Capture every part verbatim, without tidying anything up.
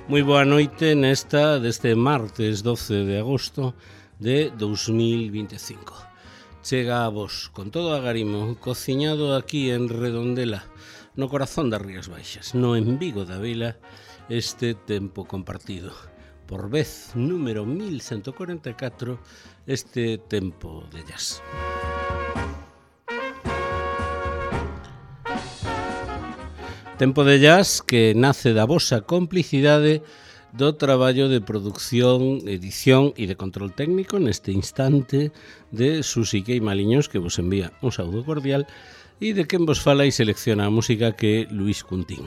Moi boa noite nesta deste martes doce de agosto de dous mil vinte e cinco. Chega a vos con todo o agarimo cociñado aquí en Redondela, no corazón das Rías Baixas, no en Vigo da Vila, este tempo compartido. Por vez número mil ciento cuarenta e catro, este tempo de jazz. Tempo de jazz que nace da vosa complicidade do traballo de produción, edición e de control técnico neste instante de Susi Queimaliños, que vos envía un saúdo cordial, e de quen vos fala e selecciona a música que é Luis Cuntín.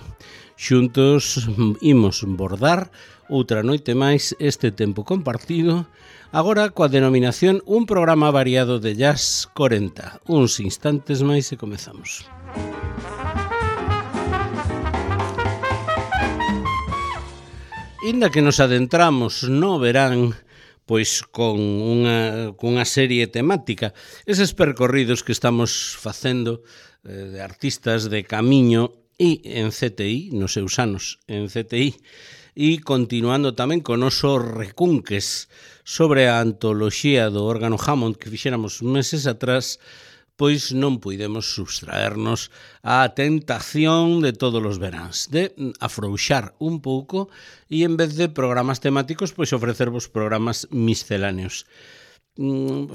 Xuntos imos bordar outra noite máis este tempo compartido, agora coa denominación Un programa variado de jazz corenta. Uns instantes máis e comezamos. Inda que nos adentramos no verán, pois con unha, con unha serie temática, eses percorridos que estamos facendo eh, de artistas de camiño e en C T I, nos seus anos en C T I, e continuando tamén con noso recunques sobre a antoloxía do órgano Hammond que fixéramos meses atrás, pois non puidemos subtraernos á tentación de todos os veráns, de afrouxar un pouco e en vez de programas temáticos, pois ofrecervos programas misceláneos.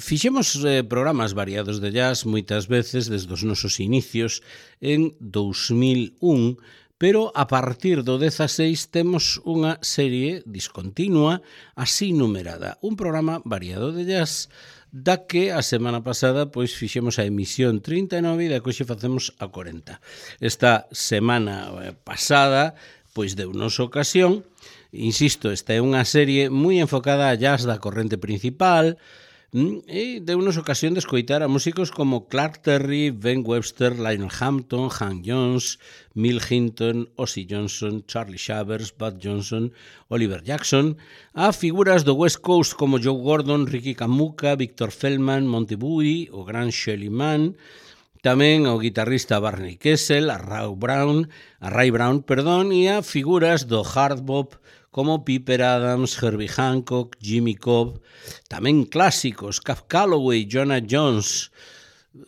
Fixemos eh, programas variados de jazz moitas veces desde os nosos inicios en dous mil un, pero a partir do dezaseis temos unha serie discontinua así numerada, un programa variado de jazz da que a semana pasada pois fixemos a emisión trinta e nove e da que hoxe facemos a corenta. Esta semana pasada pois deu-nos ocasión, insisto, esta é unha serie moi enfocada a jazz da corrente principal, e deu-nos ocasión de escoitar a músicos como Clark Terry, Ben Webster, Lionel Hampton, Hank Jones, Milt Hinton, Ozzie Johnson, Charlie Shavers, Bud Johnson, Oliver Jackson, a figuras do West Coast como Joe Gordon, Ricky Kamuka, Victor Feldman, Monty Bowie, o gran Shelly Manne, tamén ao guitarrista Barney Kessel, a Ray Brown, a Ray Brown, perdón, e a figuras do hard bop como Piper Adams, Herbie Hancock, Jimmy Cobb, tamén clásicos, Cab Calloway, Jonah Jones,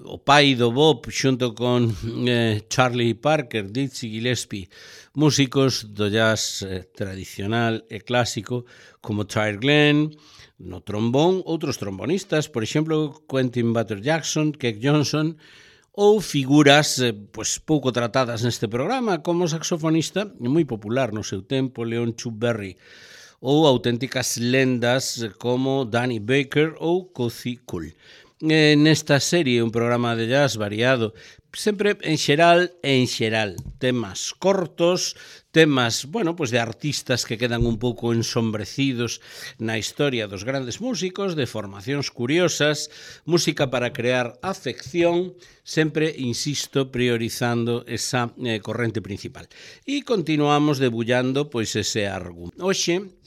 o pai do bop xunto con eh, Charlie Parker, Dizzy Gillespie, músicos do jazz eh, tradicional e clásico como Tyre Glenn, no trombón, outros trombonistas, por exemplo, Quentin Butter Jackson, Keck Johnson, ou figuras eh, pues, pouco tratadas neste programa, como saxofonista, moi popular no seu tempo, Leon Chuck Berry, ou auténticas lendas como Danny Baker ou Cozy Cool. Eh, nesta serie, un programa de jazz variado, sempre en xeral e en xeral, temas cortos, temas, bueno, pues de artistas que quedan un pouco ensombrecidos na historia dos grandes músicos, de formacións curiosas, música para crear afección, sempre, insisto, priorizando esa eh, corrente principal. E continuamos debullando, pois, ese argumento. Hoxe,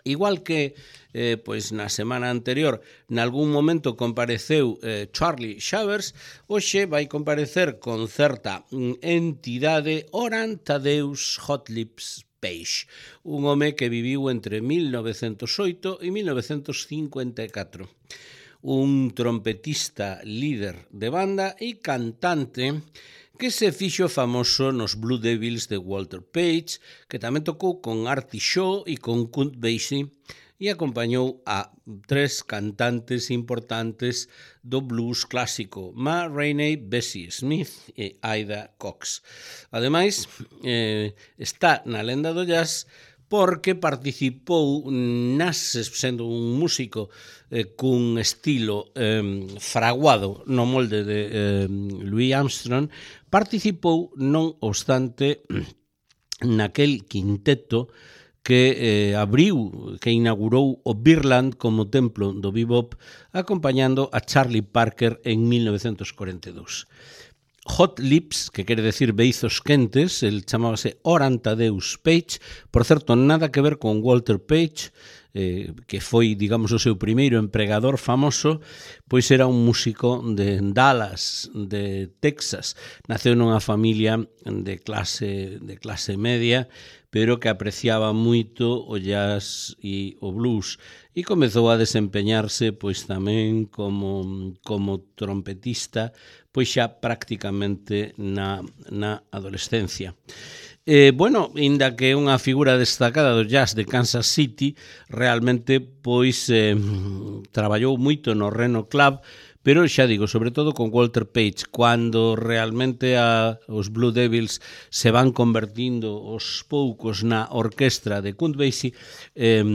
igual que eh, pois na semana anterior nalgún momento compareceu eh, Charlie Shavers, hoxe vai comparecer con certa mm, entidade Oran Thaddeus Hotlips Page, un home que viviu entre mil novecentos oito e mil novecentos cincuenta e catro. Un trompetista líder de banda e cantante que se fixo famoso nos Blue Devils de Walter Page, que tamén tocou con Artie Shaw e con Count Basie e acompañou a tres cantantes importantes do blues clásico, Ma Rainey, Bessie Smith e Ida Cox. Ademais, eh, está na lenda do jazz porque participou nas, sendo un músico eh, cun estilo eh, fraguado no molde de eh, Louis Armstrong, participou non obstante naquel quinteto que eh, abriu, que inaugurou o Beerland como templo do bebop, acompañando a Charlie Parker en mil novecentos cuarenta e dous. Hot Lips, que quere decir beizos quentes, el chamábase Oran Thaddeus Page, por certo, nada que ver con Walter Page, eh, que foi, digamos, o seu primeiro empregador famoso, pois era un músico de Dallas, de Texas. Naceu nunha familia de clase, de clase media, pero que apreciaba moito o jazz e o blues, e comezou a desempeñarse pois tamén como, como trompetista, pois xa prácticamente na, na adolescencia. Eh, bueno, inda que é unha figura destacada do jazz de Kansas City, realmente pois eh, traballou moito no Reno Club, pero xa digo, sobre todo con Walter Page, cando realmente a, os Blue Devils se van convertindo aos poucos na orquestra de Count Basie, eh,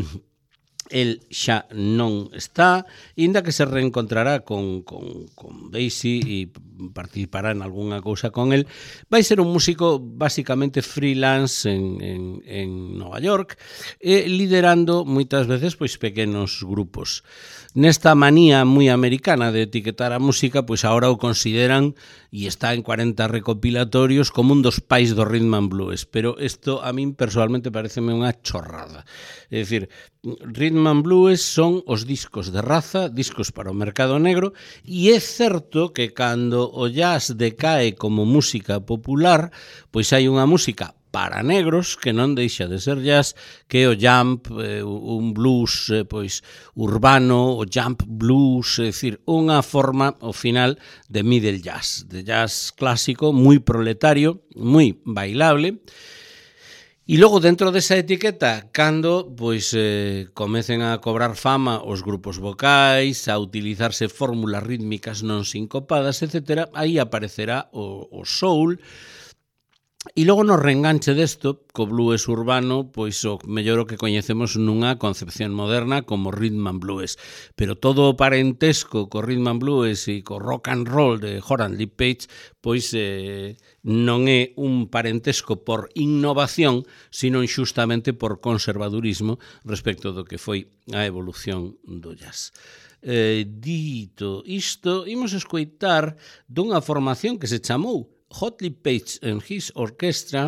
el xa non está, inda que se reencontrará con, con, con Basie e participará en algunha cousa con el. Vai ser un músico basicamente freelance en, en, en Nova York, e liderando moitas veces pois pequenos grupos. Nesta manía moi americana de etiquetar a música, pois agora o consideran, e está en cuarenta recopilatorios, como un dos pais do rhythm and blues, pero isto a min personalmente pareceme unha chorrada. É dicir, rhythm and blues son os discos de raza, discos para o mercado negro, e é certo que cando o jazz decae como música popular, pois hai unha música para negros, que non deixa de ser jazz, que é o jump, eh, un blues eh, pois urbano, o jump blues, é dicir, unha forma, ao final, de middle jazz, de jazz clásico, moi proletario, moi bailable. E logo, dentro desa etiqueta, cando pois eh, comecen a cobrar fama os grupos vocais, a utilizarse fórmulas rítmicas non sincopadas, etcétera, aí aparecerá o, o soul. E logo no reenganche desto, co blues urbano, pois o mellor o que coñecemos nunha concepción moderna como rhythm and blues. Pero todo o parentesco co rhythm and blues e co rock and roll de Horan Lee Page, pois eh, non é un parentesco por innovación, sino xustamente por conservadurismo respecto do que foi a evolución do jazz. Eh, dito isto, imos escoitar dunha formación que se chamou Hot Lee Page and His Orchestra,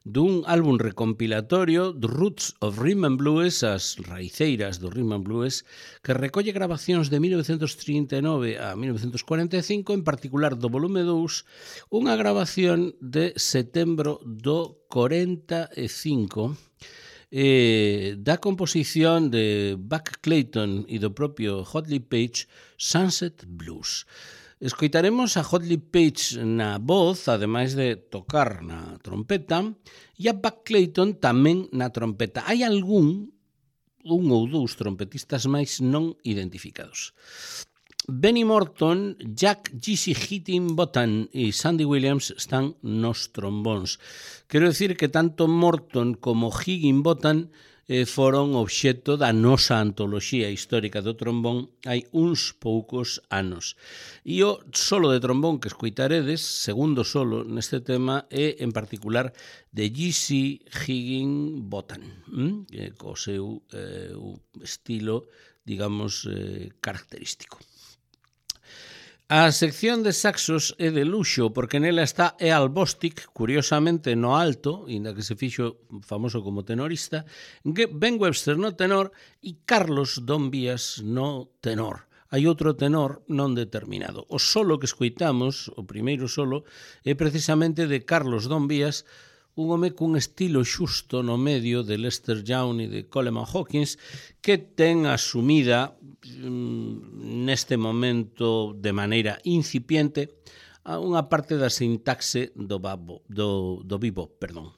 dun álbum recompilatorio The Roots of Rhythm and Blues, as raiceiras do Rhythm and Blues, que recolle grabacións de mil novecentos trinta e nove a mil novecentos cuarenta e cinco, en particular do volume dous, unha grabación de setembro do cuarenta e cinco, eh, da composición de Buck Clayton e do propio Hot Lee Page, Sunset Blues. Escoitaremos a Hot Lee Page na voz, ademais de tocar na trompeta, e a Buck Clayton tamén na trompeta. Hai algún, un ou dous trompetistas máis non identificados. Benny Morton, Jack Jesse Higginbotham e Sandy Williams están nos trombóns. Quero dicir que tanto Morton como Higginbotham eh, foron obxecto da nosa antoloxía histórica do trombón hai uns poucos anos. E o solo de trombón que escoitaredes, segundo solo neste tema, é en particular de Jesse Higginbotham, hm? co seu eh, estilo, digamos, eh, característico. A sección de saxos é de luxo porque nela está Earl Bostic, curiosamente no alto, inda que se fixo famoso como tenorista, Ben Webster no tenor e Carlos Don Vías no tenor. Hai outro tenor non determinado. O solo que escoitamos, o primeiro solo, é precisamente de Carlos Don Vías, un home cun estilo xusto no medio de Lester Young e de Coleman Hawkins, que ten asumida mm, neste momento de maneira incipiente a unha parte da sintaxe do, babo, do, do bebop, perdón.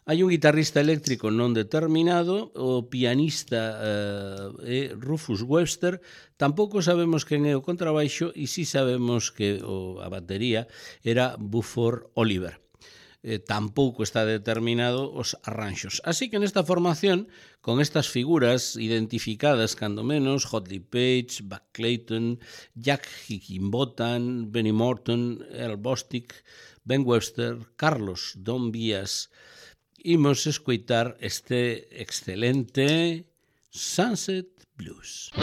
Hai un guitarrista eléctrico non determinado, o pianista eh, é Rufus Webster, tampouco sabemos quen é o contrabaixo e si sabemos que o, a batería era Buford Oliver. Eh, tampouco está determinado os arranxos. Así que nesta formación, con estas figuras identificadas cando menos, Hot Lee Page, Buck Clayton, Jack Higginbotham, Benny Morton, Earl Bostic, Ben Webster, Carlos Don Vías, imos escoitar este excelente Sunset Blues.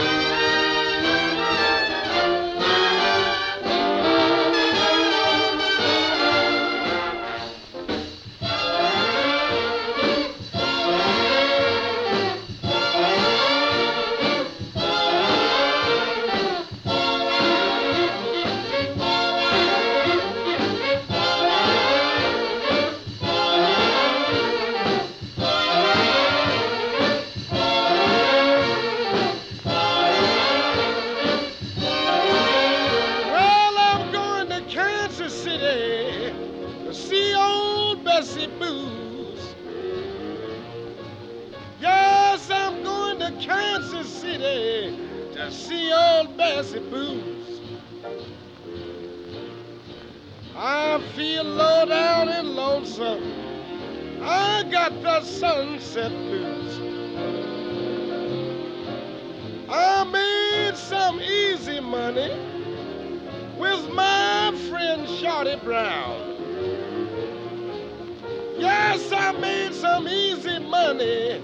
Kansas City to see old Bessie Booze. I feel low down and lonesome. I got the sunset blues. I made some easy money with my friend Shorty Brown. Yes, I made some easy money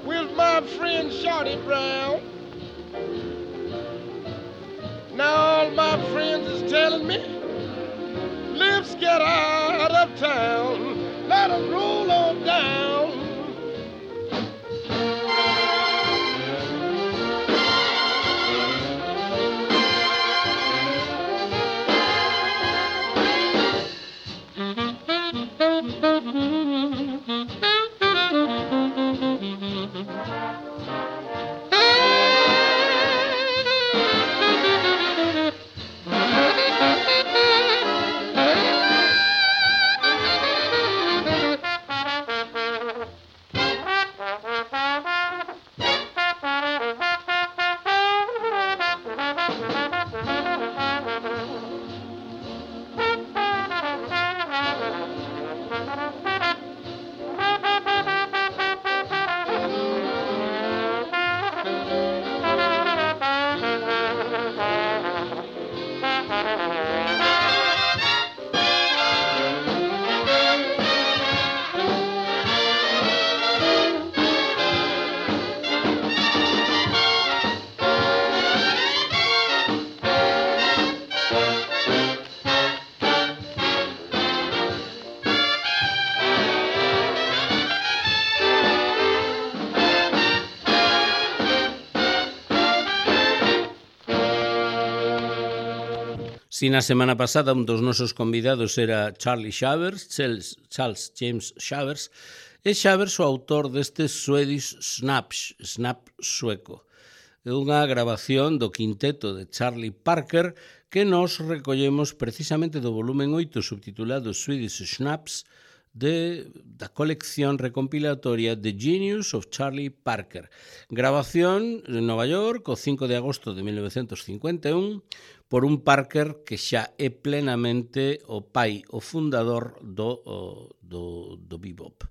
with my friend Shorty Brown. Now all my friends is telling me, let's get out of town, let us roll on down. Si na semana pasada un dos nosos convidados era Charlie Shavers, Charles, Charles James Shavers, e Shavers o autor deste Swedish Snaps, Snap sueco. É unha grabación do quinteto de Charlie Parker que nos recollemos precisamente do volumen oito subtitulado Swedish Snaps de, da colección recompilatoria The Genius of Charlie Parker. Grabación en Nova York o cinco de agosto de mil novecientos cincuenta e un por un Parker que xa é plenamente o pai, o fundador do, o, do, do bebop.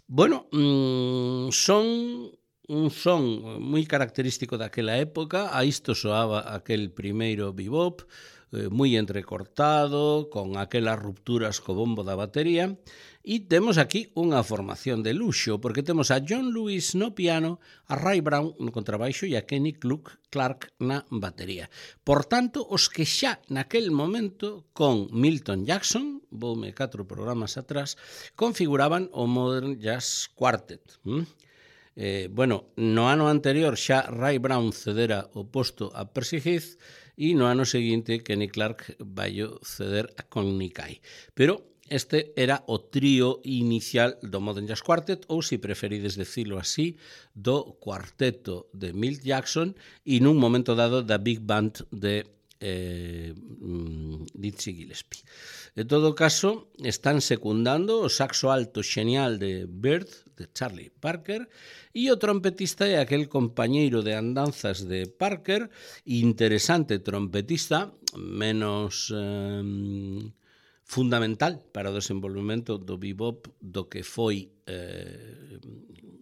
Bueno, mmm, son un son moi característico daquela época, a isto soaba aquel primeiro bebop, eh, moi entrecortado, con aquelas rupturas co bombo da batería, e temos aquí unha formación de luxo, porque temos a John Lewis no piano, a Ray Brown no contrabaixo e a Kenny Clark na batería. Por tanto, os que xa naquel momento, con Milton Jackson, voume catro programas atrás, configuraban o Modern Jazz Quartet. ¿Mm? Eh, bueno, no ano anterior xa Ray Brown cedera o posto a Percy Heath e no ano seguinte Kenny Clark vai ceder a Connie Kay. Pero este era o trío inicial do Modern Jazz Quartet, ou, se preferides decirlo así, do cuarteto de Milt Jackson e nun momento dado da Big Band de eh, Dizzy Gillespie. En todo caso, están secundando o saxo alto xenial de Bird, de Charlie Parker, e o trompetista é aquel compañeiro de andanzas de Parker, interesante trompetista, menos eh, fundamental para o desenvolvemento do bebop do que foi eh,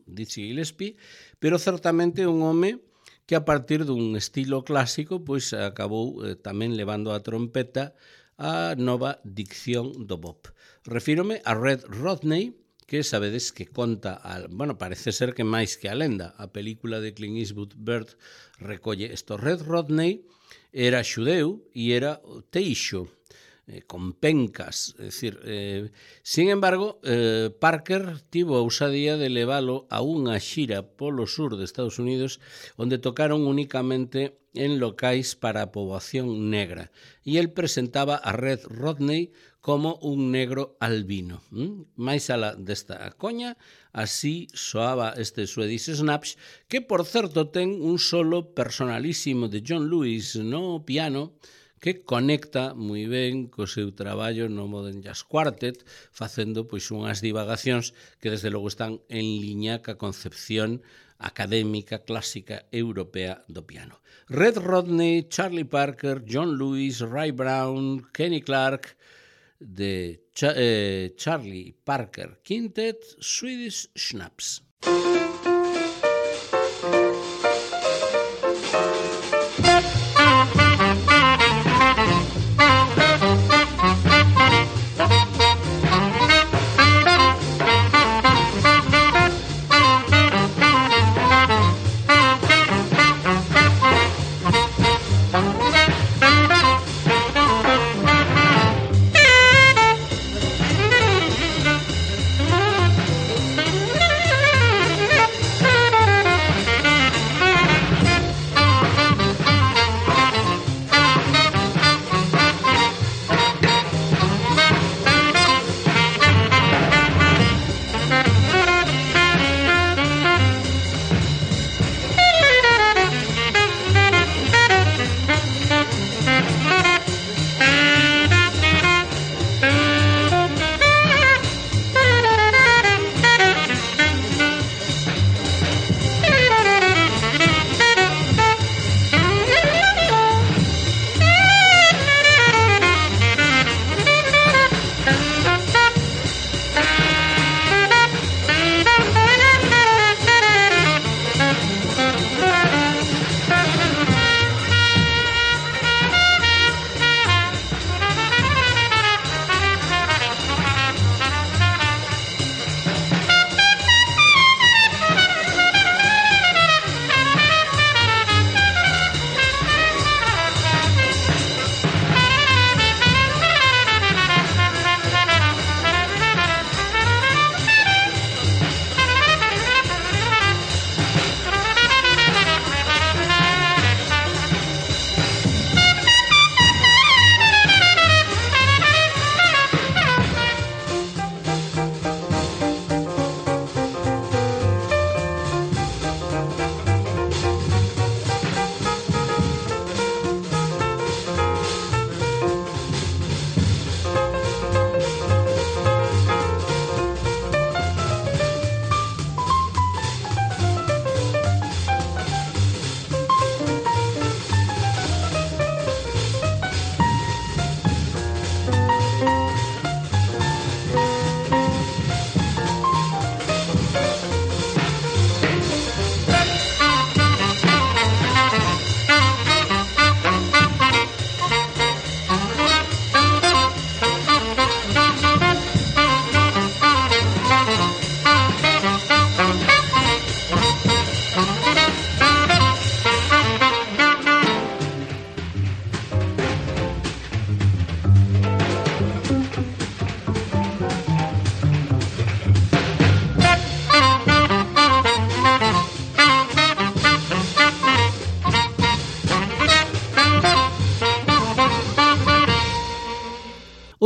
Dizzy Gillespie, pero certamente un home que a partir dun estilo clásico pois acabou eh, tamén levando a trompeta a nova dicción do bop. Refírome a Red Rodney, que sabedes que conta, a, bueno, parece ser que máis que a lenda, a película de Clint Eastwood, Bird, recolle isto. Red Rodney era xudeu e era teixo, eh, con pencas, é dicir, eh, sin embargo, eh, Parker tivo a ousadía de leválo a unha xira polo sur de Estados Unidos onde tocaron únicamente en locais para a poboación negra e el presentaba a Red Rodney como un negro albino. ¿Mm? Mais alá desta coña, así soaba este Swedish Snaps, que por certo ten un solo personalísimo de John Lewis no piano, que conecta moi ben co seu traballo no Modern Jazz Quartet, facendo pois unhas divagacións que desde logo están en liña ca concepción académica clásica europea do piano. Red Rodney, Charlie Parker, John Lewis, Ray Brown, Kenny Clarke, de Cha eh, Charlie Parker Quintet, Swedish Schnapps.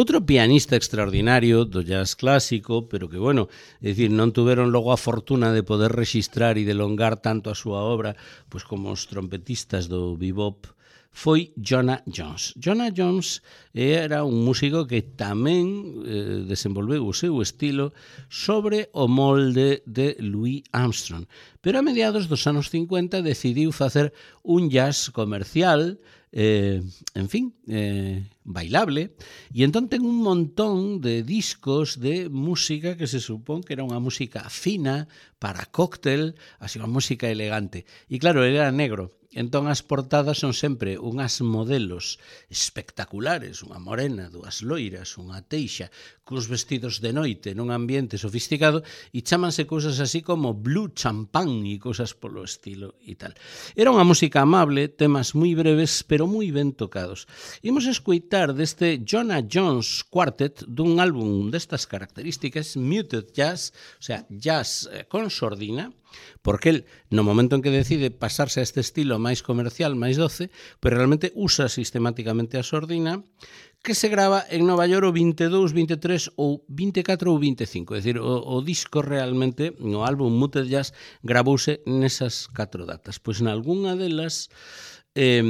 Outro pianista extraordinario do jazz clásico, pero que, bueno, é dicir, non tuveron logo a fortuna de poder rexistrar e delongar tanto a súa obra pois como os trompetistas do bebop, foi Jonah Jones. Jonah Jones era un músico que tamén eh, desenvolveu o seu estilo sobre o molde de Louis Armstrong, pero a mediados dos anos cincuenta decidiu facer un jazz comercial, eh, en fin, eh, bailable, e entón ten un montón de discos de música que se supón que era unha música fina, para cóctel, así unha música elegante. E claro, ele era negro. Entón as portadas son sempre unhas modelos espectaculares, unha morena, dúas loiras, unha teixa, cuns vestidos de noite nun ambiente sofisticado, e chámanse cousas así como Blue Champagne e cousas polo estilo e tal. Era unha música amable, temas moi breves, pero moi ben tocados. Imos escoitar deste Jonah Jones Quartet dun álbum destas características, Muted Jazz, o sea, jazz con sordina, porque el, no momento en que decide pasarse a este estilo máis comercial, máis doce, pero realmente usa sistemáticamente a sordina, que se grava en Nova York o veintidós, veintitrés ou veinticuatro ou veinticinco. É dicir, o, o disco realmente, no álbum Muted Jazz, gravouse nesas catro datas. Pois nalgúnha delas, eh,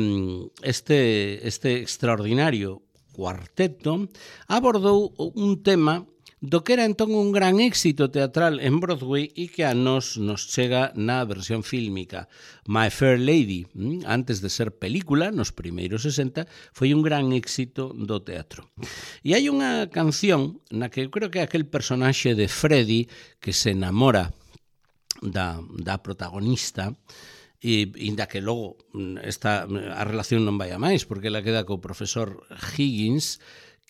este, este extraordinario cuarteto abordou un tema do que era entón un gran éxito teatral en Broadway e que a nos nos chega na versión fílmica. My Fair Lady, antes de ser película, nos primeiros sesenta, foi un gran éxito do teatro. E hai unha canción na que eu creo que aquel personaxe de Freddy que se enamora da, da protagonista, e inda que logo esta, a relación non vai a máis, porque ela queda co profesor Higgins,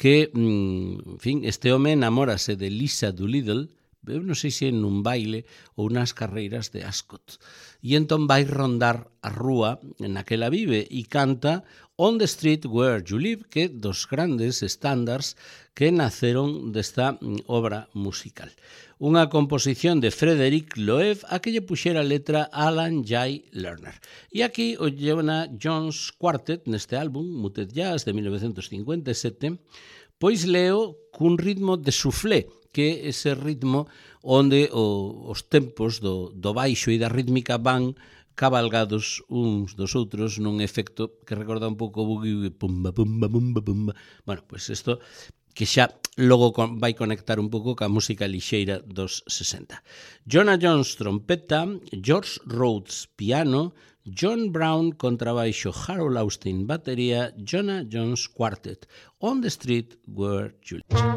que, en fin, este home enamórase de Lisa Doolittle, eu non sei se nun baile ou nas carreiras de Ascot. E entón vai rondar a rúa na que ela vive e canta On the Street Where You Live, que dos grandes estándares que naceron desta obra musical. Unha composición de Frederick Loewe a que lle puxera letra Alan J. Lerner. E aquí o Jonah Jones Quartet, neste álbum, Muted Jazz, de mil novecientos cincuenta e sete, pois leo cun ritmo de soufflé, que é ese ritmo onde o, os tempos do, do baixo e da rítmica van cabalgados uns dos outros nun efecto que recorda un pouco o boogie, pumba, pumba, pumba, pumba. Bueno, pois isto que xa logo vai conectar un pouco ca música lixeira dos sesenta. Jonah Jones trompeta, George Rhodes piano, John Brown contrabaixo, Harold Austin batería, Jonah Jones Quartet, On the Street Where You Live.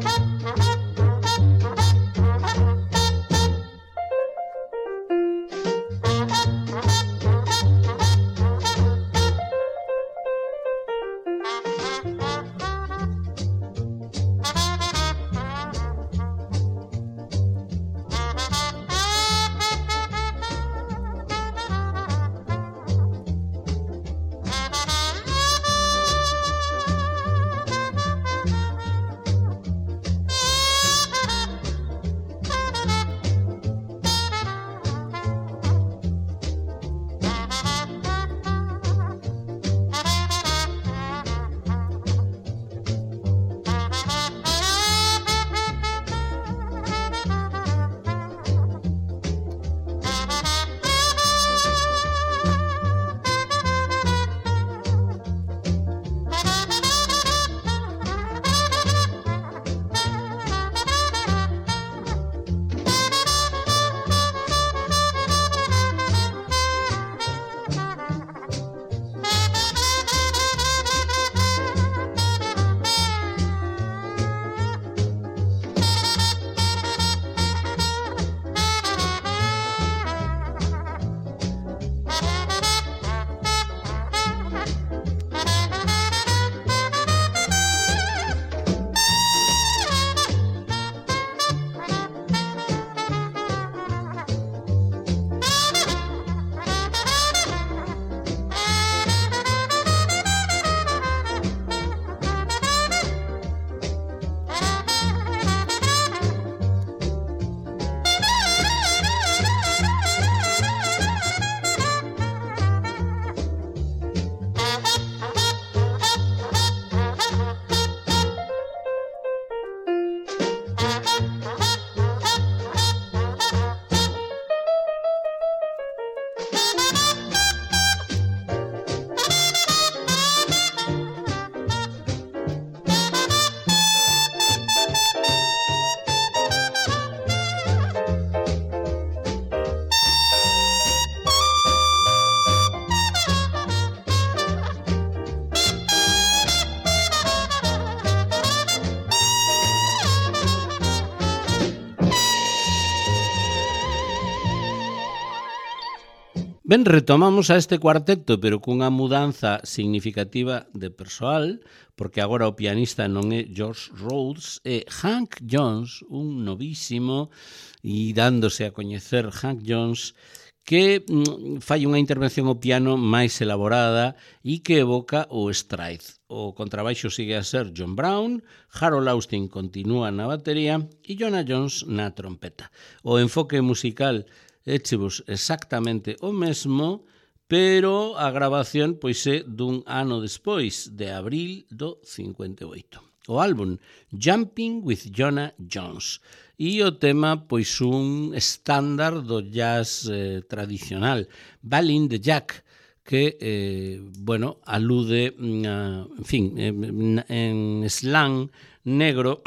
Ben, retomamos a este cuarteto, pero cunha mudanza significativa de persoal, porque agora o pianista non é George Rhodes, é Hank Jones, un novísimo, e dándose a coñecer Hank Jones, que mm, fai unha intervención ao piano máis elaborada e que evoca o stride. O contrabaixo sigue a ser John Brown, Harold Austin continúa na batería e Jonah Jones na trompeta. O enfoque musical échevos exactamente o mesmo, pero a grabación pois é dun ano despois, de abril do cincuenta e oito. O álbum Jumping with Jonah Jones. E o tema, pois un estándar do jazz eh, tradicional, Ballin' the Jack, que, eh, bueno, alude, a, en fin, en, en slang negro,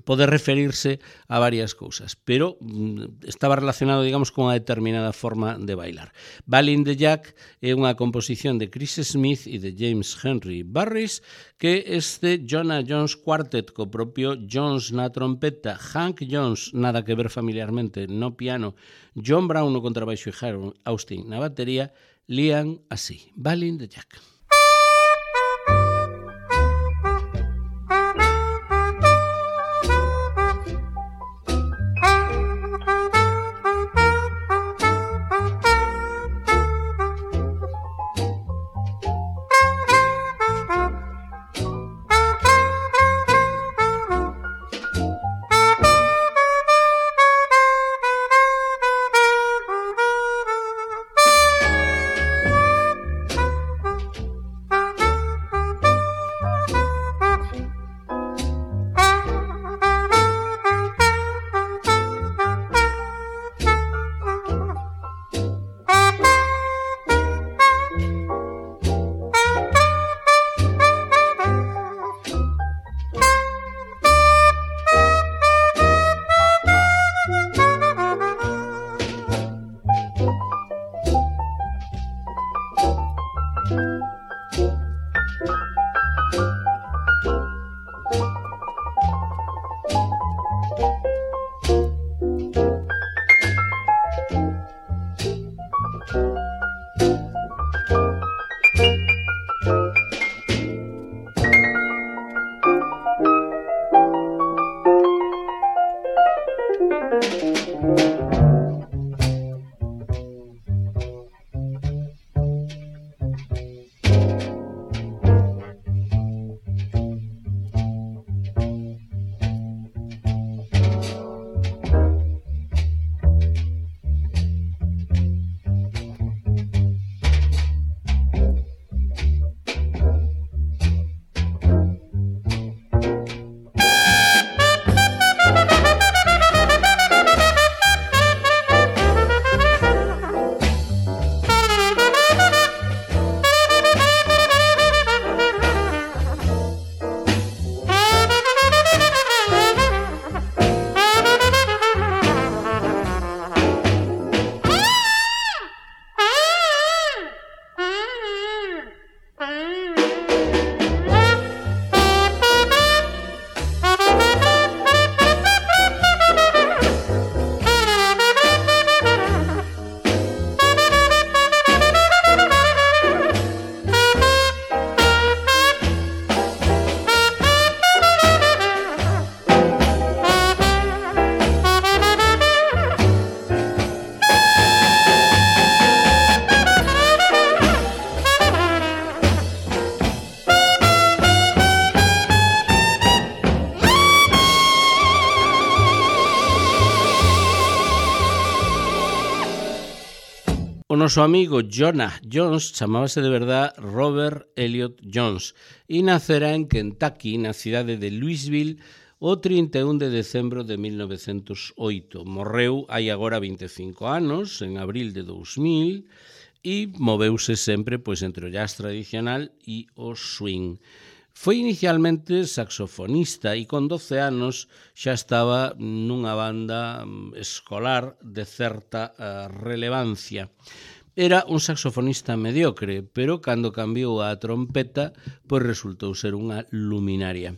pode referirse a varias cousas, pero estaba relacionado, digamos, con unha determinada forma de bailar. Ballin' the Jack é unha composición de Chris Smith e de James Henry Barris, que este Jonah Jones Quartet, co propio Jones na trompeta, Hank Jones, nada que ver familiarmente, no piano, John Brown no contrabaixo e Harold Austin na batería, lían así, Ballin' the Jack. O noso amigo Jonah Jones chamábase de verdad Robert Elliot Jones e nacera en Kentucky, na cidade de Louisville, o trinta e un de decembro de mil novecentos oito. Morreu hai agora vinte e cinco anos, en abril de dous mil, e moveuse sempre pois, entre o jazz tradicional e o swing. Foi inicialmente saxofonista e con doce anos xa estaba nunha banda escolar de certa uh, relevancia. Era un saxofonista mediocre, pero cando cambiou a trompeta, pois resultou ser unha luminaria.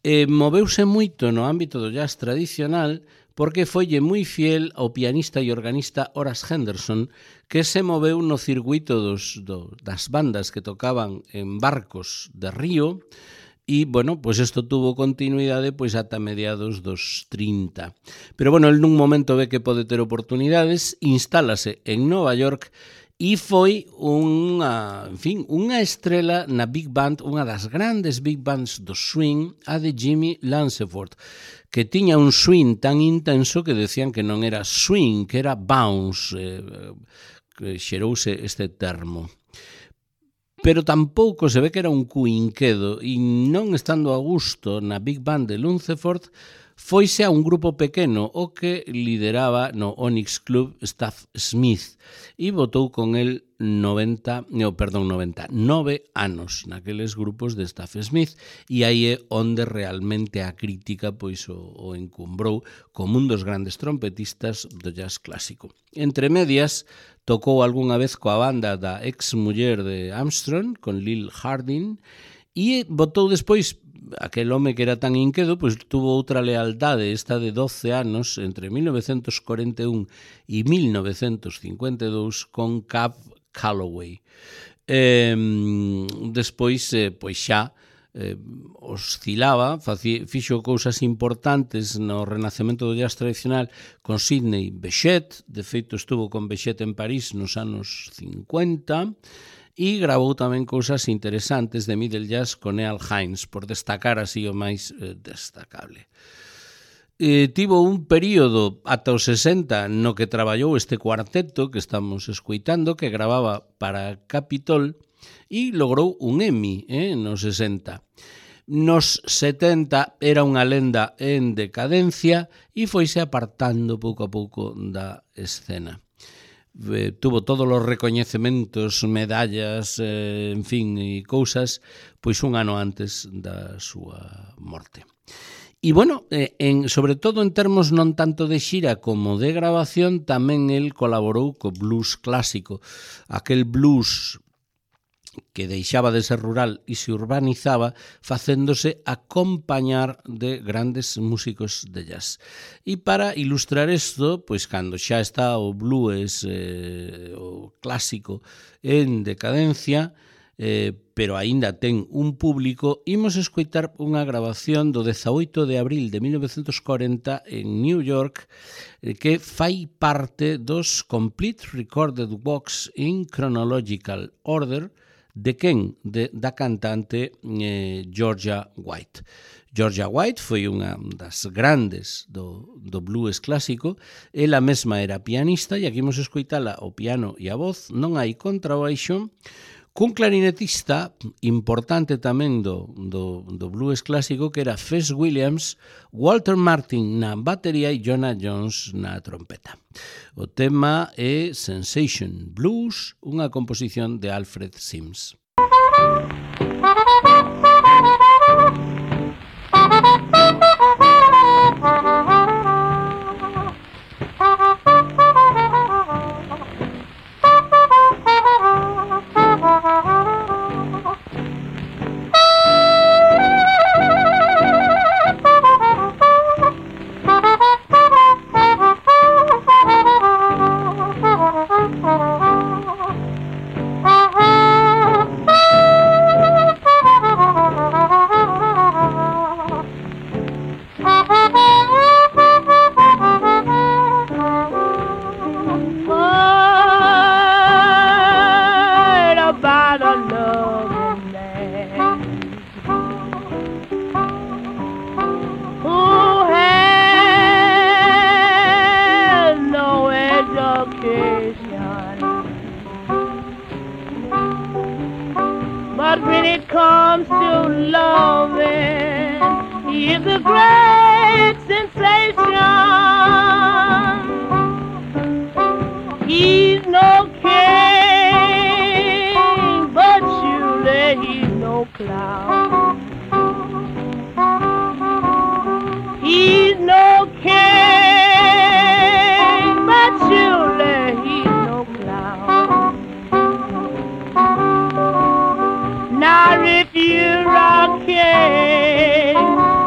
E moveuse moito no ámbito do jazz tradicional porque foille moi fiel ao pianista e organista Horace Henderson, que se moveu no circuito dos, do, das bandas que tocaban en barcos de río, e, bueno, pois isto tuvo continuidade pois ata mediados dos trinta. Pero, bueno, el nun momento ve que pode ter oportunidades, instálase en Nova York e foi unha, en fin, unha estrela na big band, unha das grandes big bands do swing, a de Jimmy Lanceford, que tiña un swing tan intenso que decían que non era swing, que era bounce, eh, que xerouse este termo. Pero tampouco se ve que era un cuinquedo, e non estando a gusto na big band de Lunceford, foise a un grupo pequeno o que lideraba no Onyx Club Staff Smith e votou con el noventa, no, perdón, noventa, nove anos naqueles grupos de Staff Smith, e aí é onde realmente a crítica pois o, o encumbrou como un dos grandes trompetistas do jazz clásico. Entre medias, tocou algunha vez coa banda da ex muller de Armstrong, con Lil Hardin, e votou despois, aquel home que era tan inquedo, pois tuvo outra lealdade, esta de doce anos, entre mil novecientos cuarenta e un e mil novecientos cincuenta e dous, con Cab Calloway. Eh, despois, eh, pois xa, eh, oscilaba, faci, fixo cousas importantes no renacemento do jazz tradicional con Sidney Bechet, de feito estuvo con Bechet en París nos anos cincuenta, e gravou tamén cousas interesantes de middle jazz con Earl Hines, por destacar así o máis eh, destacable. Eh, tivo un período ata os sesenta no que traballou este cuarteto que estamos escuitando, que gravaba para Capitol e logrou un Emmy eh, nos sesenta. Nos setenta era unha lenda en decadencia e foise apartando pouco a pouco da escena. Eh, tuvo todos os recoñecementos, medallas, eh, en fin, e cousas, pois un ano antes da súa morte. E, bueno, eh, en, sobre todo en termos non tanto de xira como de grabación, tamén el colaborou co blues clásico, aquel blues que deixaba de ser rural e se urbanizaba facéndose acompañar de grandes músicos de jazz. E para ilustrar isto, pois cando xa está o blues, eh, o clásico, en decadencia, eh, pero aínda ten un público, imos escoitar unha grabación do dezaoito de abril de mil novecientos cuarenta en New York, eh, que fai parte dos Complete Recorded Box in Chronological Order, de quen? De, da cantante eh, Georgia White. Georgia White foi unha das grandes do, do blues clásico, ela mesma era pianista, e aquí imos escoitala o piano e a voz, non hai contrabaixo, cun clarinetista importante tamén do, do, do blues clásico, que era Fess Williams, Walter Martin na batería e Jonah Jones na trompeta. O tema é Sensation Blues, unha composición de Alfred Sims.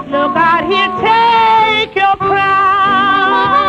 Look out here, take your crown.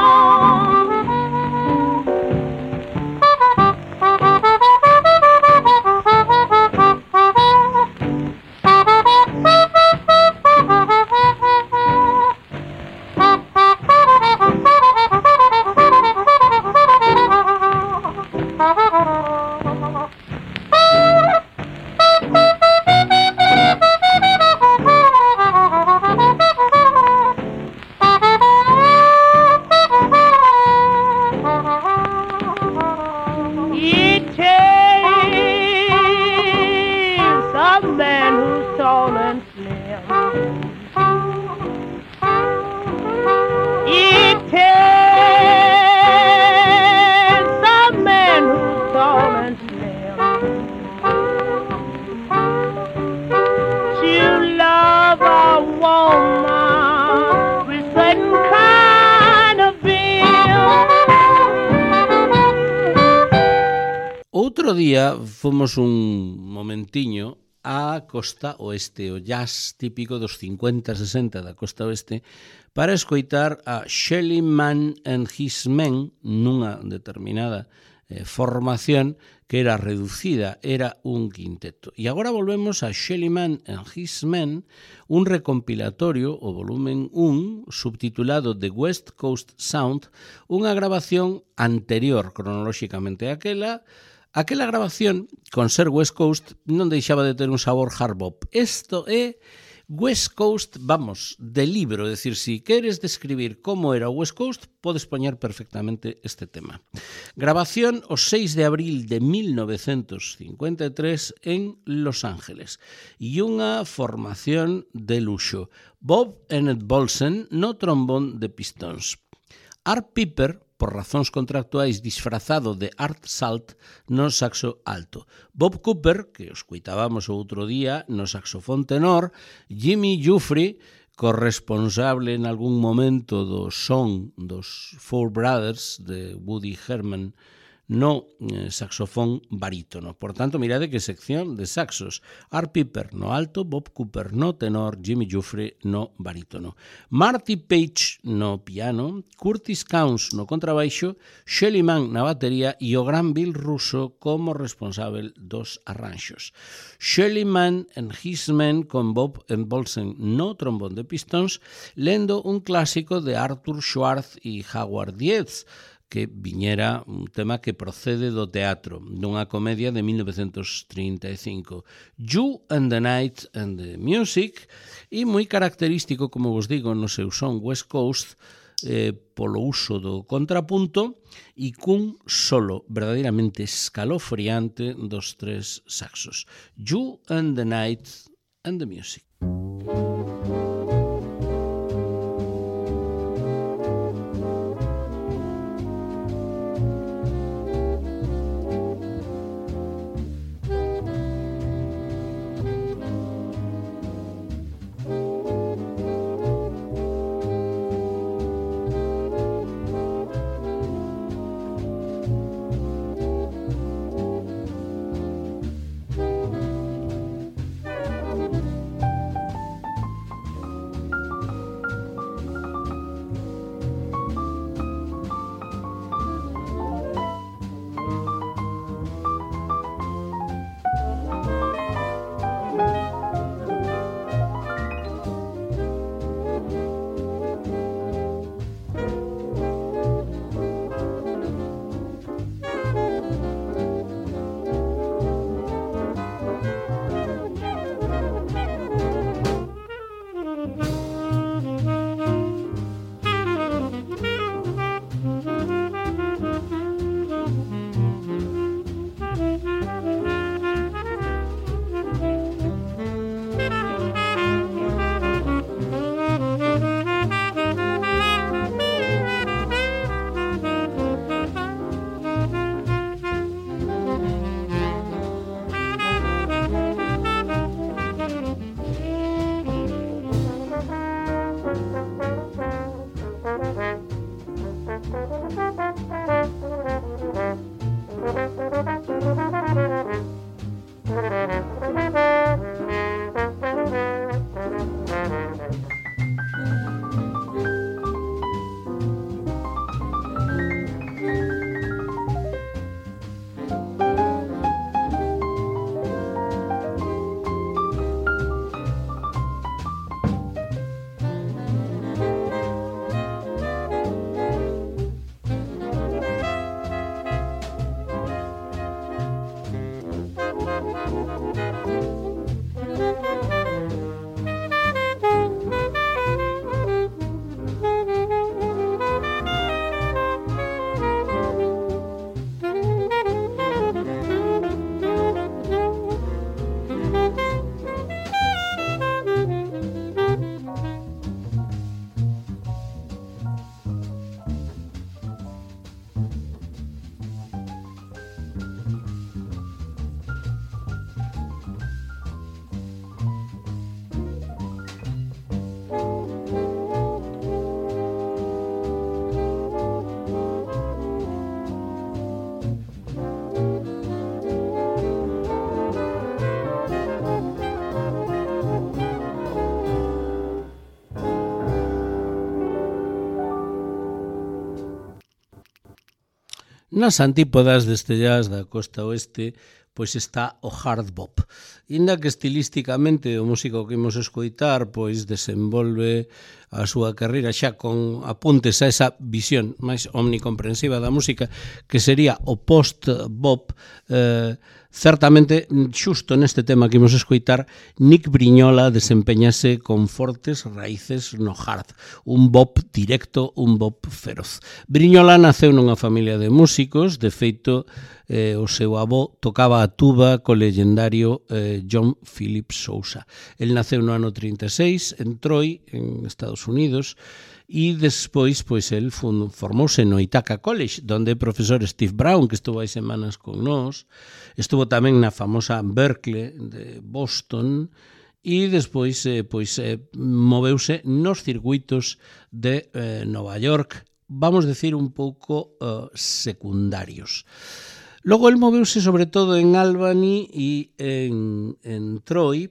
outro día fomos un momentiño á costa oeste, o jazz típico dos cincuenta sesenta da costa oeste, para escoitar a Shelly Manne and His Men nunha determinada eh, formación que era reducida, era un quinteto. E agora volvemos a Shelly Manne and His Men, un recompilatorio, o volumen un, subtitulado The West Coast Sound, unha grabación anterior cronolóxicamente a aquela. Aquela grabación, con ser West Coast, non deixaba de ter un sabor hard bop. Isto é West Coast, vamos, de libro. É dicir, si queres describir como era o West Coast, podes poñer perfectamente este tema. Grabación o seis de abril de mil novecentos cincuenta e tres en Los Ángeles. E unha formación de luxo. Bob Ennett Bolsen no trombón de pistons. Art Piper, por razóns contractuais disfrazado de Art Salt, no saxo alto. Bob Cooper, que os coitábamos o outro día, no saxofón tenor. Jimmy Giuffre, corresponsable en algún momento do son dos Four Brothers de Woody Herman, no eh, saxofón barítono. Por tanto, mirade que sección de saxos. Art Piper no alto, Bob Cooper no tenor, Jimmy Giuffre no barítono. Marty Page no piano, Curtis Counce no contrabaixo, Shelly Manne na batería e o gran Bill Russo como responsable dos arranxos. Shelly Manne and His Men con Bob and Bolsen no trombón de pistons, lendo un clásico de Arthur Schwartz e Howard Dietz, que viñera un tema que procede do teatro, dunha comedia de mil novecentos trinta e cinco. You and the Night and the Music, e moi característico, como vos digo, no seu son West Coast, eh, polo uso do contrapunto e cun solo verdadeiramente escalofriante dos tres saxos. You and the Night and the Music. Nas antípodas deste jazz da costa oeste, pois está o hard bop. Inda que estilísticamente o músico que imos escoitar pois desenvolve a súa carreira xa con apuntes a esa visión máis omnicomprensiva da música que sería o post-bop, eh, certamente, xusto neste tema que imos escoitar, Nick Briñola desempeñase con fortes raíces no hard, un bop directo, un bop feroz. Briñola naceu nunha familia de músicos, de feito, eh, o seu avó tocaba a tuba co legendario eh, John Philip Sousa. El naceu no ano trinta e seis en Troy, en Estados Unidos, e despois pois el formouse no Ithaca College, donde o profesor Steve Brown, que estuvo hai semanas con nós, estuvo tamén na famosa Berkeley de Boston, e despois eh, pois eh, moveuse nos circuitos de eh, Nova York, vamos decir un pouco eh, secundarios. Logo el moveuse sobre todo en Albany e en, en Troy,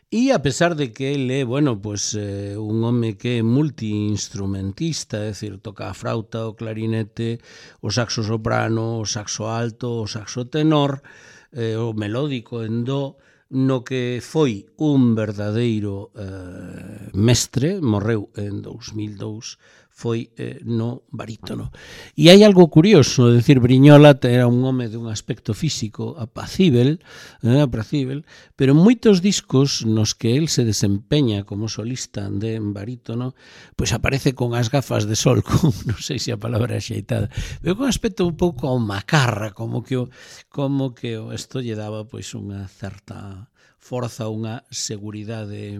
e a pesar de que ele é, bueno, pues, eh, un home que é multiinstrumentista, é dicir, toca a frauta, o clarinete, o saxo soprano, o saxo alto, o saxo tenor, eh, o melódico en do, no que foi un verdadeiro eh, mestre, morreu en dous mil dous, foi eh, no barítono. E hai algo curioso, é dicir, Briñola era un home de un aspecto físico apacível, eh, apacível, pero en moitos discos nos que el se desempeña como solista de barítono, pois aparece con as gafas de sol, con, non sei se a palabra é axeitada, pero con un aspecto un pouco macarra, como que o, como que o esto lle daba pois unha certa forza, unha seguridade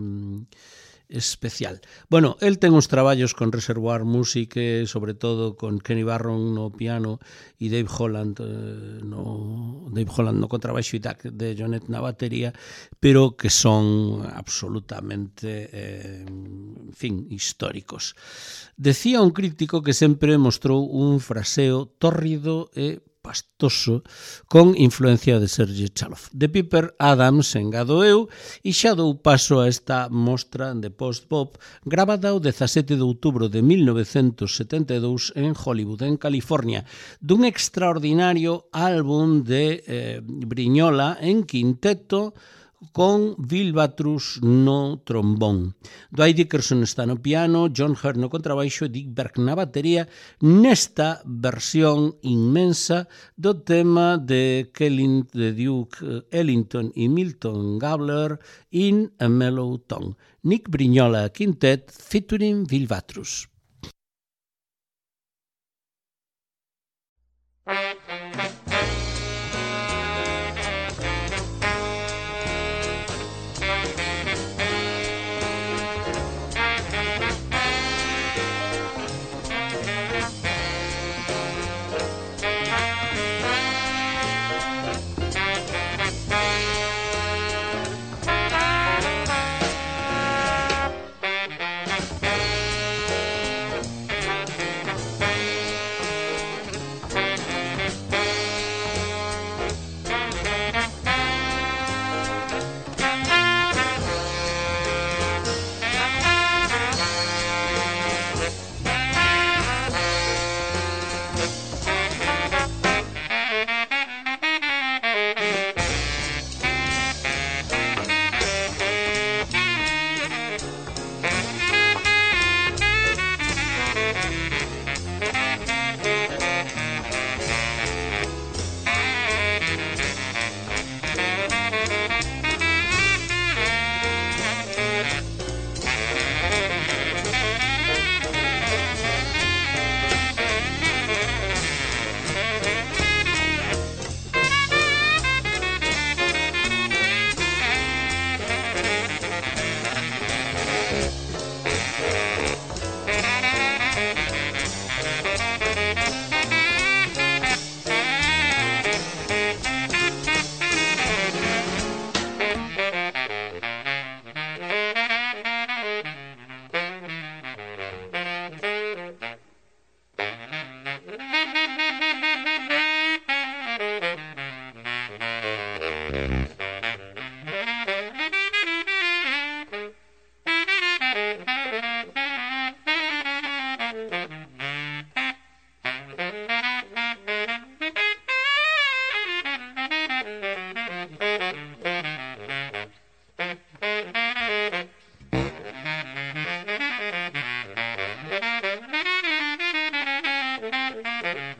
especial. Bueno, el ten uns traballos con Reservoir Music, sobre todo con Kenny Barron no piano e Dave Holland eh, no Dave Holland no contrabaixo e Doug de Jonet na batería, pero que son absolutamente eh, en fin, históricos. Decía un crítico que sempre mostrou un fraseo tórrido e pastoso con influencia de Sergei Chalov. De Piper Adams engado eu e xa dou paso a esta mostra de post-bop gravada o dezasete de outubro de mil novecentos setenta e dous en Hollywood, en California, dun extraordinario álbum de eh, Briñola en quinteto con Bill Batrus no trombón. Dwight Dickerson está no piano, John Hurt no contrabaixo e Dick Berg na batería nesta versión inmensa do tema de Kellyn, de Duke Ellington e Milton Gabler in a Mellow Tone. Nick Briñola Quintet featuring Bill Batrus. Thank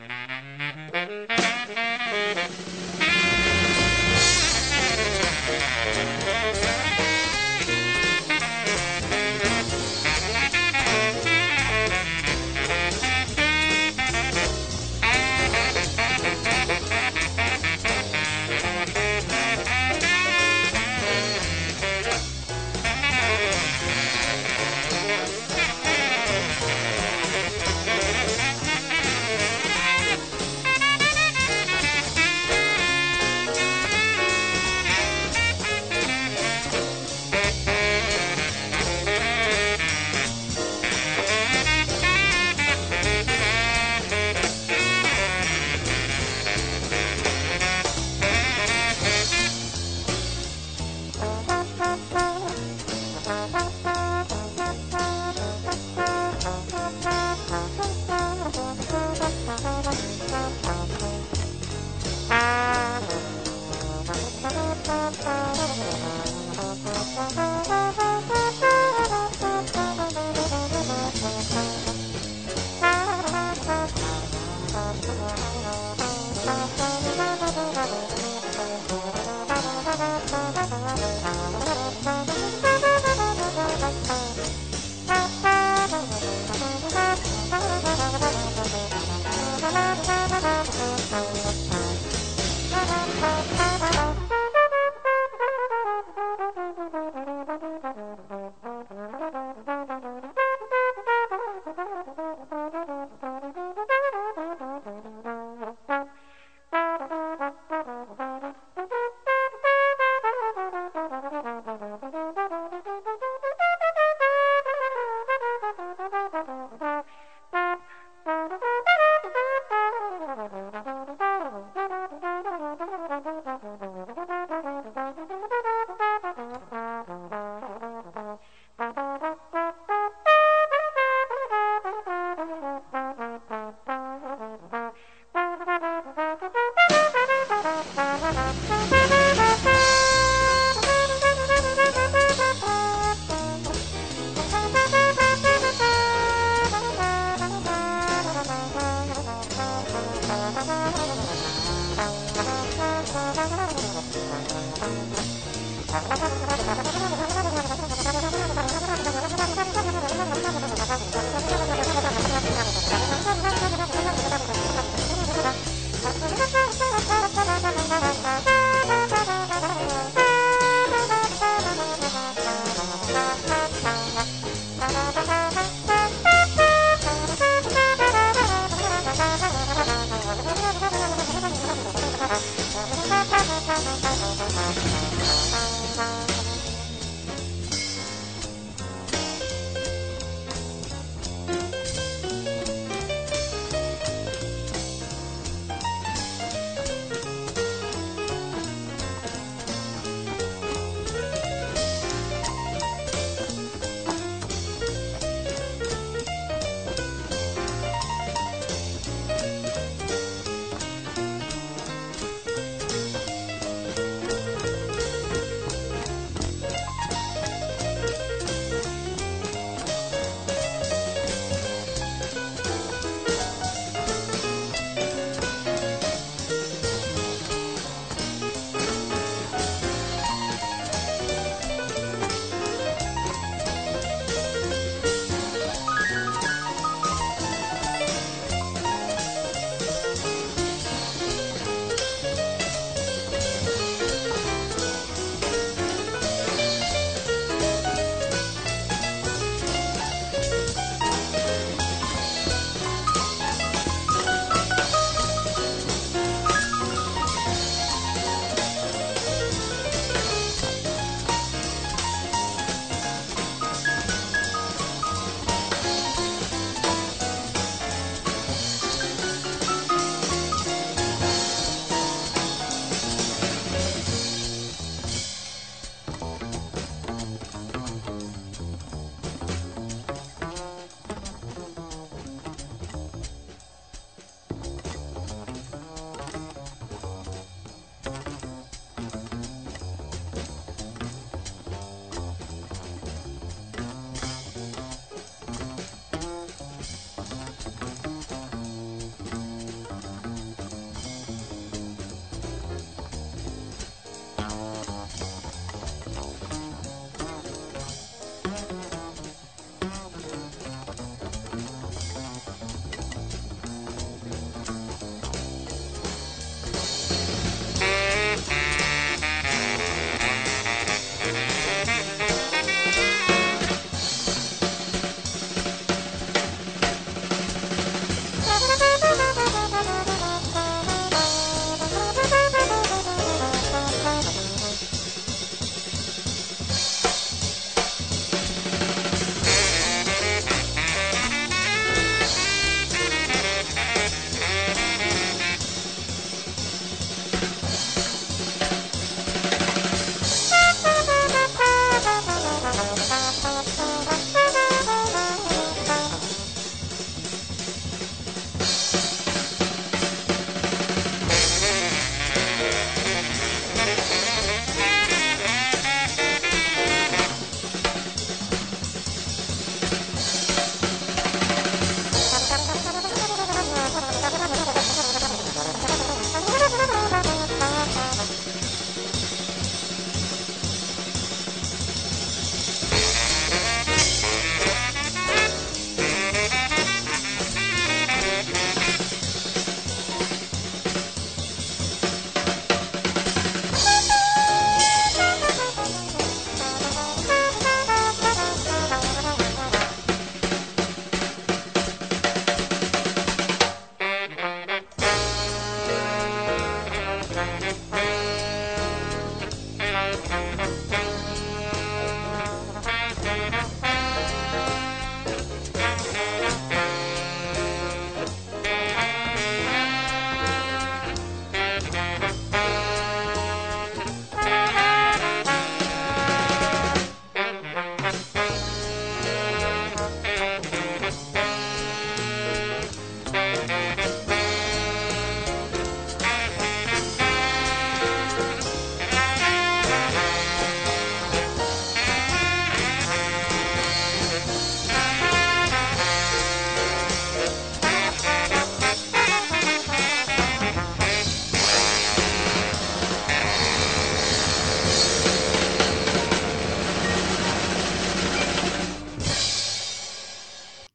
you.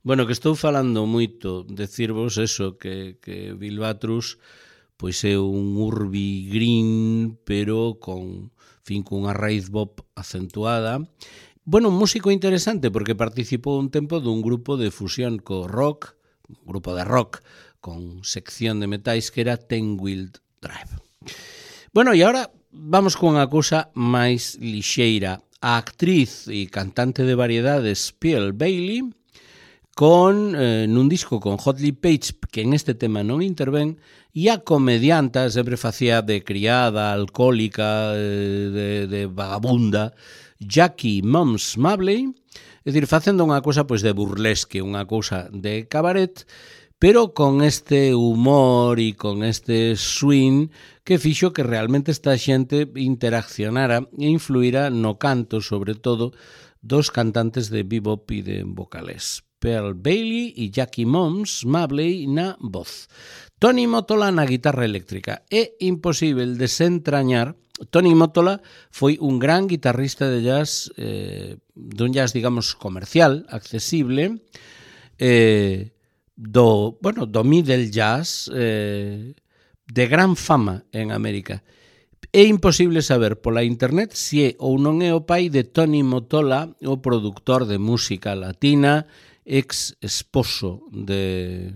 Bueno, que estou falando moito, decirvos eso, que, que Bilbatrus pois é un urbi green, pero con, fin, cunha raíz bop acentuada. Bueno, un músico interesante, porque participou un tempo dun grupo de fusión co rock, un grupo de rock, con sección de metais, que era Ten Wheel Drive. Bueno, e agora vamos con unha cousa máis lixeira. A actriz e cantante de variedades Pearl Bailey, con eh, nun disco con Hot Lip Page, que en este tema non intervén, e a comedianta sempre facía de criada, alcohólica, eh, de, de vagabunda, Jackie Mums Mabley, é dicir, facendo unha cousa pois de burlesque, unha cousa de cabaret, pero con este humor e con este swing que fixo que realmente esta xente interaccionara e influíra no canto, sobre todo, dos cantantes de bebop e de vocales. Pearl Bailey e Jackie Mums Mabley na voz. Tony Mottola na guitarra eléctrica. É imposible desentrañar. Tony Mottola foi un gran guitarrista de jazz, eh, dun jazz, digamos, comercial, accesible, eh, do, bueno, do middle jazz, eh, de gran fama en América. É imposible saber pola internet se é ou non é o pai de Tony Mottola, o produtor de música latina, ex esposo de,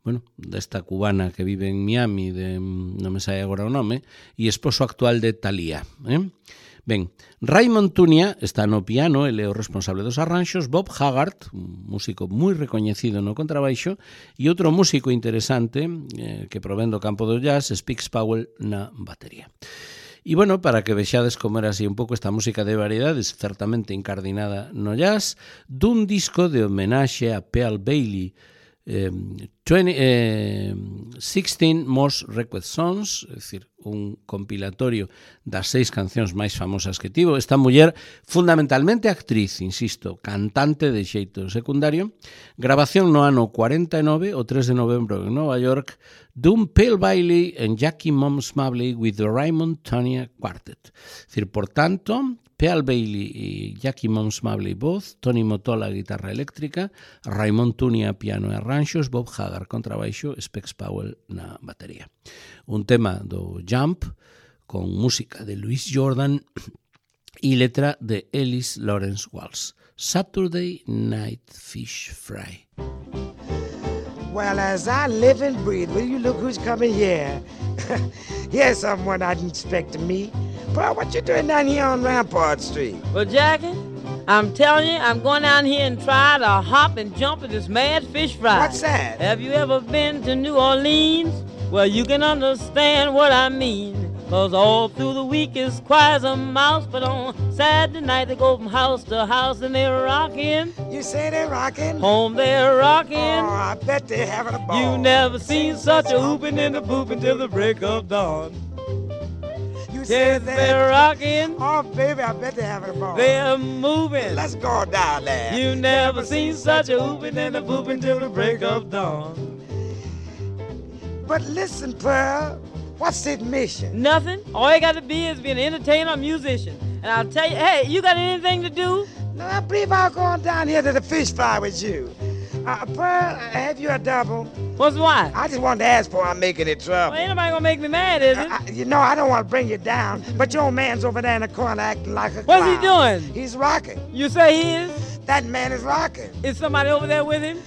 bueno, desta cubana que vive en Miami, de, non me sai agora o nome, e esposo actual de Thalía. Eh? Ben, Raymond Tunia está no piano, ele é o responsable dos arranxos, Bob Haggart, un músico moi recoñecido no contrabaixo, e outro músico interesante eh, que provén do campo do jazz, Spix Powell, na batería. E, bueno, para que vexades como era así un pouco esta música de variedades, certamente incardinada no jazz, dun disco de homenaxe a Pearl Bailey, eh, veinte, eh, sixteen Most Requested Songs, é dicir, un compilatorio das seis cancións máis famosas que tivo. Esta muller, fundamentalmente actriz, insisto, cantante de xeito secundario, grabación no ano cuarenta e nove, o tres de novembro en Nova York, dun Pearl Bailey and Jackie Mums Mabley with the Raymond Tunia Quartet. É dicir, por tanto, Pearl Bailey e Jackie Mums Mabley voz, Tony Mottola guitarra eléctrica, Raymond Tunia piano e arranxos, Bob Haggart contrabaixo, Specs Powell na batería. Un tema do Jump con música de Louis Jordan e letra de Ellis Lawrence Walsh. Saturday Night Fish Fry. Well, as I live and breathe, will you look who's coming here? Here's someone I didn't expect to meet. Bro, what you doing down here on Rampart Street? Well, Jackie, I'm telling you, I'm going down here and try to hop and jump at this mad fish fry. What's that? Have you ever been to New Orleans? Well, you can understand what I mean. Cause all through the week is quiet as a mouse, but on Saturday night they go from house to house and they're rocking. You say they're rocking? Home they're rocking. Oh, I bet they're having a ball. You never seen such a whooping and a pooping till the break of dawn. You Yes, they're rocking. Oh, baby, I bet they're having a ball. They're moving. Let's go down there. You never seen such a whooping and a pooping till the break of dawn. But listen, Pearl, what's the mission? Nothing. All you got to be is be an entertainer or musician. And I'll tell you, hey, you got anything to do? No, I believe I'll go on down here to the fish fry with you. Uh, Pearl, have you a double? What's why? I just wanted to ask before I'm making it trouble. Well, ain't nobody gonna make me mad, is it? I, I, you know, I don't want to bring you down, but your old man's over there in the corner acting like a What's clown. he doing? He's rocking. You say he is? That man is rocking. Is somebody over there with him?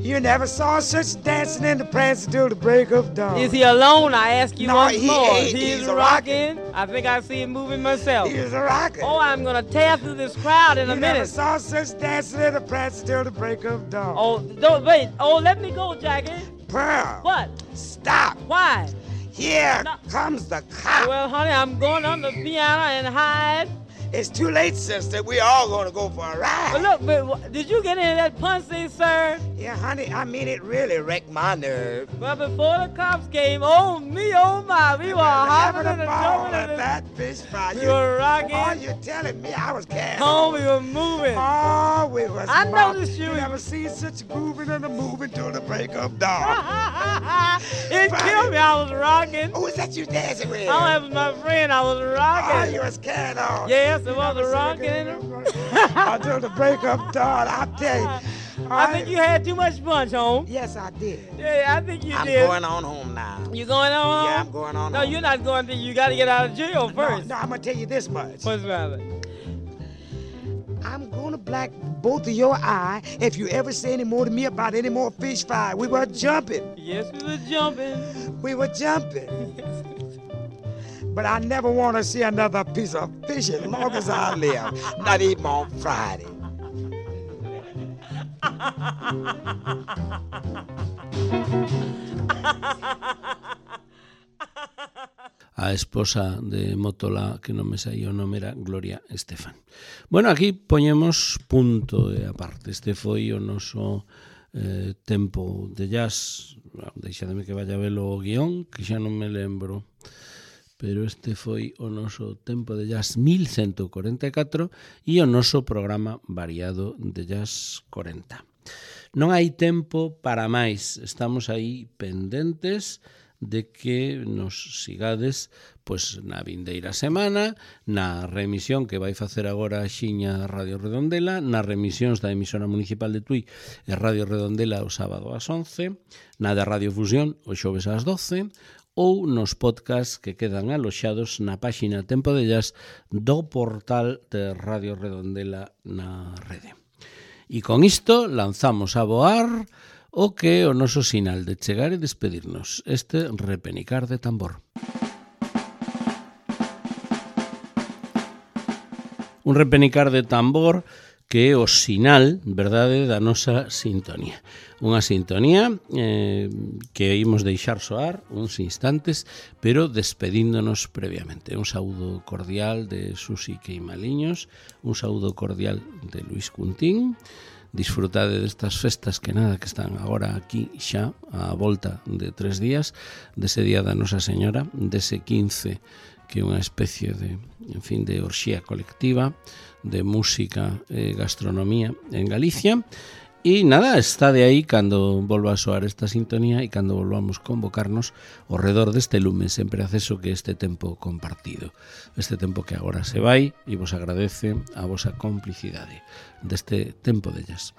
You never saw such dancing in the prance until the break of dawn. Is he alone? I ask you No, once he more. ain't. He's, He's a rocking. I think I see him moving myself. He's a rocking. Oh, I'm gonna tear through this crowd in you a never minute. saw such dancing in the prance until the break of dawn. Oh, don't wait. Oh, let me go, Jackie. Pearl. What? Stop. Why? Here No. comes the cop. Well, honey, I'm going on the piano and hide. It's too late, sister. We all gonna go for a ride. But look, but wh- did you get into that punch thing, sir? Yeah, honey, I mean, it really wrecked my nerve. Well, before the cops came, oh me, oh my, we were hopping having and a ball jumping at and that fish fry. we You- were rocking. Oh, you're telling me I was carrying Oh, on. we were moving. Oh, we was I mob- noticed you. You never seen such grooving and a moving till the break of dawn. It killed me. I was rocking. Who is that you dancing with? Oh, that was my friend. I was Oh, rocking. you was carrying on. Yes, it You was never a seen rocking. Until the break of dawn, I tell you. I think you had too much punch, home. Yes, I did. Yeah, I think you I'm did. I'm going on home now. You going on? Yeah, I'm going on No, home. you're not going to. You got to get out of jail first. No, no, I'm going to tell you this much. What's the matter? I'm going to black both of your eye if you ever say any more to me about any more fish fry. We were jumping. Yes, we were jumping. We were jumping. But I never want to see another piece of fish as long as I live. Not even on Friday. A esposa de Mótola, que non me saía o nome, era Gloria Estefan. Bueno, aquí poñemos punto e aparte. Este foi o noso eh, tempo de jazz. Deixademe que vaya a ver o guión, que xa non me lembro. Pero este foi o noso tempo de jazz mil ciento cuarenta e catro e o noso programa variado de jazz cuarenta. Non hai tempo para máis. Estamos aí pendentes de que nos sigades pois na vindeira semana, na remisión que vai facer agora a Xiña Radio Redondela, nas remisións da emisora municipal de Tui e Radio Redondela o sábado ás once, na da Radio Fusión o xoves ás doce, ou nos podcasts que quedan aloxados na páxina Tempo de Jazz do portal de Radio Redondela na rede. E con isto lanzamos a voar o que é o noso sinal de chegar e despedirnos, este repenicar de tambor. Un repenicar de tambor que é o sinal, verdade, da nosa sintonía. Unha sintonía eh, que imos deixar soar uns instantes, pero despedíndonos previamente. Un saúdo cordial de Susi Queimaliños, un saúdo cordial de Luis Cuntín. Disfrutade destas festas que nada que están agora aquí xa a volta de tres días, dese día da Nosa Señora, dese quince que é unha especie de, en fin, de orxía colectiva, de música e gastronomía en Galicia. E nada, está de aí cando volva a soar esta sintonía e cando volvamos convocarnos ao redor deste lume sempre acceso que este tempo compartido. Este tempo que agora se vai e vos agradece a vosa complicidade deste tempo de jazz.